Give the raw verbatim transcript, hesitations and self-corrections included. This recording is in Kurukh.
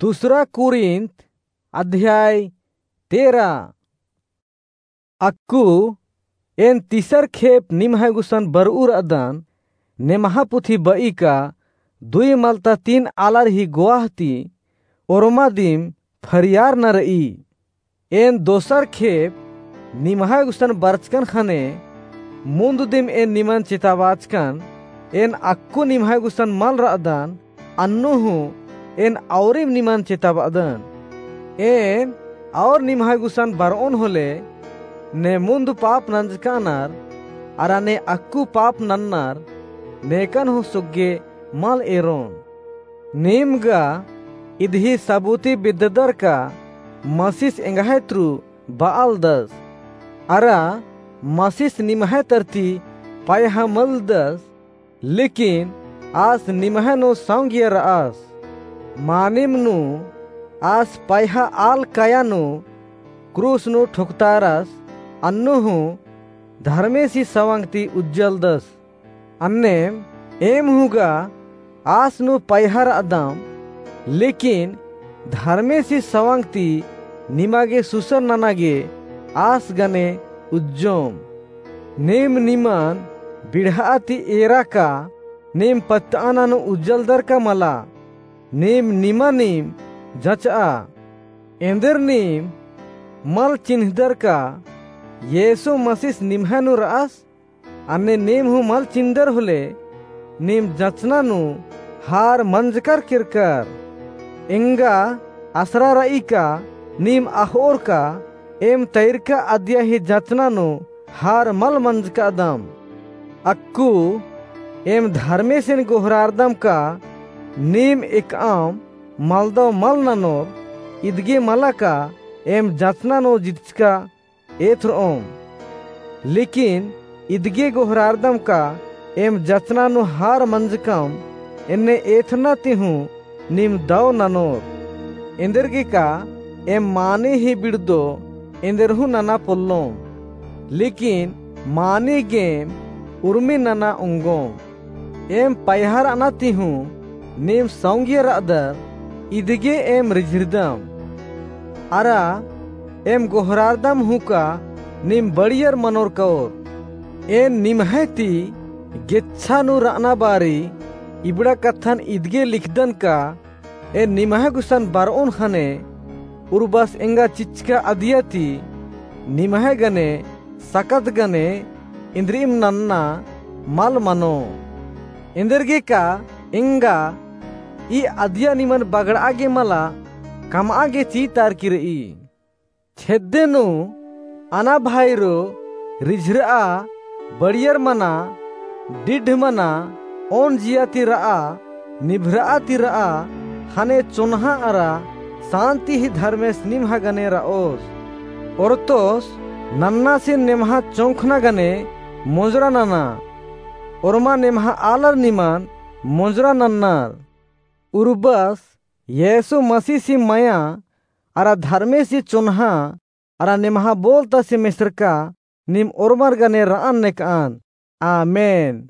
दूसरा कुरिन्थ अध्याय तेरह। अक्कु एन तीसर खेप निम्है गुसन बरऊ रअदन, नेम्हा पुथी बई का दुई मलता तीन आलर ही गोवाह ती ओर्मा दिम फरियार न रई। एन दोसर खेप निम्है गुसन बरचकन ख़ने मुन्द दिम एन निमन चेताबाचकन, एन अक्कु निम्है गुसन मल रअदन, अन्नु हूँ एन औरिम निमन चेताबादन। एन और निम्है गुसन बरओन होले, ने मुन्द पाप नंजकानर, अरा ने अक्कु पाप नन्नर, नेकन हूँ सुग्गे मल एरोन। नीम गा इदही सबूती बिद्ददर का मसिस एंग्है तुरु बआलदस। अरा मसिस निम्है तरती पैहा मलदस, लेकिन आस निम्है नू सौंगिया रअस। मानिम नू आस पैहा आल काया नू क्रूस नू ठोकतारस, अन्नु हूँ धर्मेसी सवंग ती उज्जलदस। अन्नेम एम हूँ गा आस नू पैहा रअदम, लेकिन धर्मेसी सवंग ती निमा गे सुसर नना गे आस गने उज्जोम। नीम निमन बिड़हा ती एरा का नीम पत्तअना नू उज्जलदर का मला, नीम निमानिम जचआ। एन्देर नीम मल चिन्हदर का येसु मसिस निम्है नू रअस? अन्ने नीम हूँ मल चिन्दर होले, नीम जचना नू हार मंजकर केरकर। एंगा असरा रई का नीम अख़ओर का एम तैरका अदिया ही जचना नू हार मल मंजकादम। अक्कु एम धर्मेसिन गोहरारदम का नीम एकअम मलदव मल ननोर, इदगे मला का एम जचना नू जितचका एथ्रओम। लेकिन इदगे गोहरारदम का एम जचना नू हार मंजकम, एन्ने एथना ती हूँ नीम दव ननोर। एन्देरगे का एम माने ही बिड़दो, एन्देर हूँ नना पोल्लोम। लेकिन माने गेम उर्मी नना ओंगोम। एम पैहा रअना ती हूँ नीम सौंगिया रअदर, इदगे एम रिझिरदम। अरा एम गोहरारदम हूँ का नीम बड़ियर मनोर कओर। एन निम्है ती गेच्छा नू रअना बारी इबड़ा कत्थन इदगे लिखदन का एन निम्है गुसन बरओन ख़ने, उर्बस एंगा चिच्चका अदिया ती निम्है गने सकत गने इन्द्रिइम नन्ना मल मनो। एन्देरगे का एंगा ई अदिया निमन बगड़आ गे मला कमआ गे चीतारकी रई। छेद्दे नू अना भाईरो रिझरआ, बड़ियर मना, डिड्ढ मना, ओन जिया ती रआ, निभरआ ती रआ, ख़ने चोन्हा अरा सान्ति ही धर्मेस निम्हा गने रओस। ओरतोस नन्नासिन नेम्हा चोंखना गने मोंजरा नना, ओर्मा नेम्हा आलर निमन मोंजरा नन्नर। उर्बस येसु मसीसी मया अरा धर्मेसी चोन्हा अरा नेम्हा बोलतासी मेसरका नीम ओर्मर गने रअन नेकअन। आमेन।